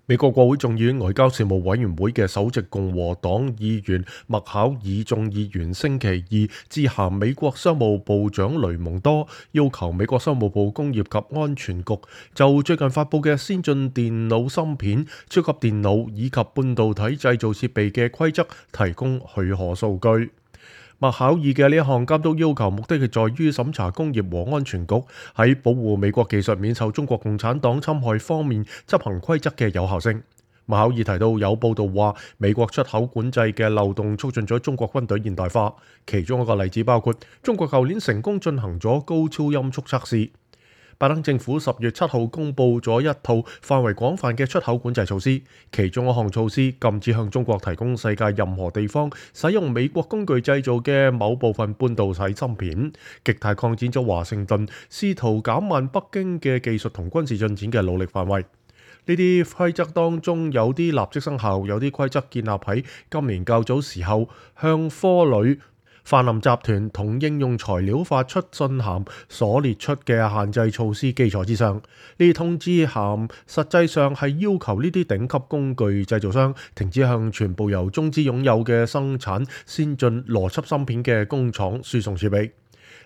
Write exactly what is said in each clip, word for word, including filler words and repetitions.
美國國會眾議院外交事務委員會嘅首席共和黨議員麥考爾眾議員星期二致函美國商務部長雷蒙多，要求美國商務部工業及安全局就最近發布嘅先進電腦芯片、超級電腦以及半導體製造設備嘅規則提供許可數據。麥考爾嘅呢一項監督要求，目的係在於審查工業和安全局喺保護美國技術免受中國共產黨侵害方面執行規則嘅有效性。麥考爾提到，有報道話美國出口管制嘅漏洞促進咗中國軍隊現代化，其中一個例子包括中國舊年成功進行咗高超音速測試。拜登政府十月七號公布咗一套範圍廣泛嘅出口管制措施，其中一項措施禁止向中國提供世界任何地方使用美國工具製造嘅某部分半導體芯片，極大擴展咗華盛頓試圖減慢北京嘅技術同軍事進展嘅努力範圍。呢啲規則當中有啲立即生效，有啲規則建立喺今年較早時候向科磊、泛林集團同應用材料發出信函所列出嘅限制措施基礎之上。呢啲通知函實際上係要求呢啲頂級工具製造商停止向全部由中資擁有嘅生產先進邏輯芯片嘅工廠輸送設備。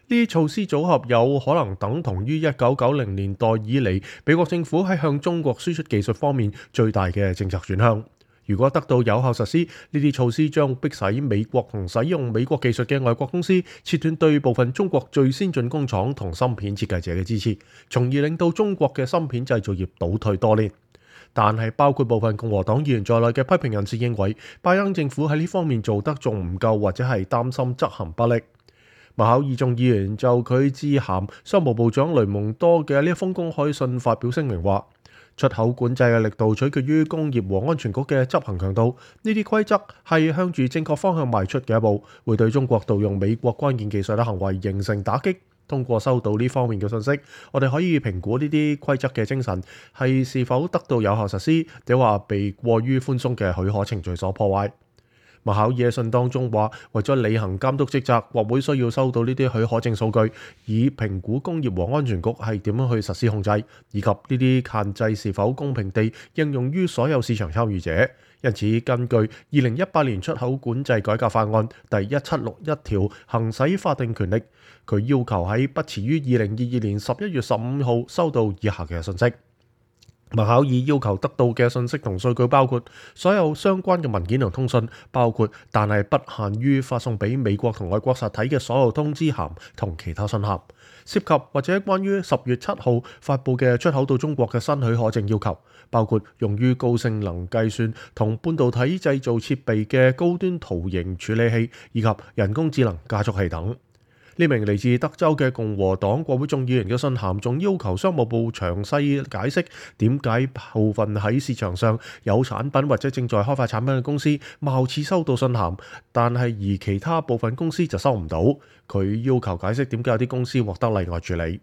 呢啲措施組合有可能等同於一九九零年代以嚟美國政府喺向中國輸出技術方面最大嘅政策轉向。如果得到有效實施，呢啲措施將迫使美國同使用美國技術嘅外國公司切斷對部分中國最先進工廠同芯片設計者嘅支持，從而令到中國嘅芯片製造業倒退多年。但係包括部分共和黨議員在內嘅批評人士認為，拜登政府喺呢方面做得仲唔夠，或者係擔心執行不力。麥考爾眾議員就佢致函商務部長雷蒙多嘅呢一封公開信發表聲明話，出口管制嘅力度取決於工業和安全局嘅執行強度，呢啲規則係向住正確方向邁出嘅一步，會對中國盜用美國關鍵技術嘅行為形成打擊。通過收到呢方面嘅信息，我哋可以評估呢啲規則嘅精神係是否得到有效實施，定話被過於寬鬆嘅許可程序所破壞。麥考爾喺信當中話，為咗履行監督職責，國會需要收到呢啲許可證數據，以評估工業和安全局係點樣去實施控制，以及呢啲限制是否公平地應用於所有市場參與者。因此，根據二零一八年出口管制改革法案第一七六一條行使法定權力，佢要求喺不遲於二零二二年十一月十五號收到以下嘅信息。麥考爾要求得到嘅信息同數據包括所有相關嘅文件同通訊，包括但係不限於發送俾美國同外國實體嘅所有通知函同其他信函，涉及或者關於十月七號發布嘅出口到中國嘅新許可證要求，包括用於高性能計算同半導體製造設備嘅高端圖形處理器以及人工智能加速器等。呢名嚟自德州嘅共和黨國會眾議員嘅信函仲要求商務部詳細解釋點解部分喺市場上有產品或者正在開發產品嘅公司貌似收到信函，但係而其他部分公司就收唔到。佢要求解釋點解有啲公司獲得例外處理。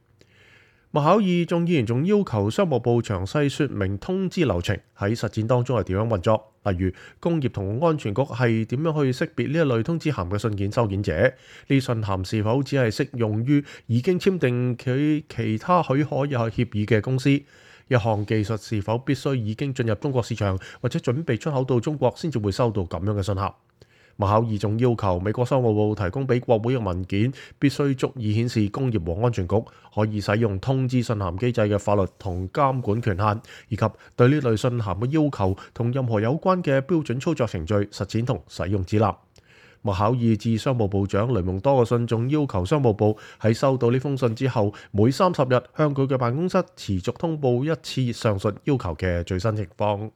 麥考爾眾議員仲要求商務部詳細說明通知流程喺實踐當中係點樣運作，例如工業同安全局係點樣去識別呢一類通知函嘅信件收件者，呢信函是否只係適用於已經簽訂佢其他許可有協議嘅公司，一項技術是否必須已經進入中國市場或者準備出口到中國先至會收到咁樣嘅信函。麥考爾仲要求美國商務部提供俾國會嘅文件必須足以顯示工業和安全局可以使用通知信函機制嘅法律同監管權限，以及對呢類信函嘅要求同任何有關嘅標準操作程序、實踐同使用指南。麥考爾致商務部長雷蒙多嘅信仲要求商務部喺收到呢封信之後，每三十日向佢嘅辦公室持續通報一次上述要求嘅最新情況。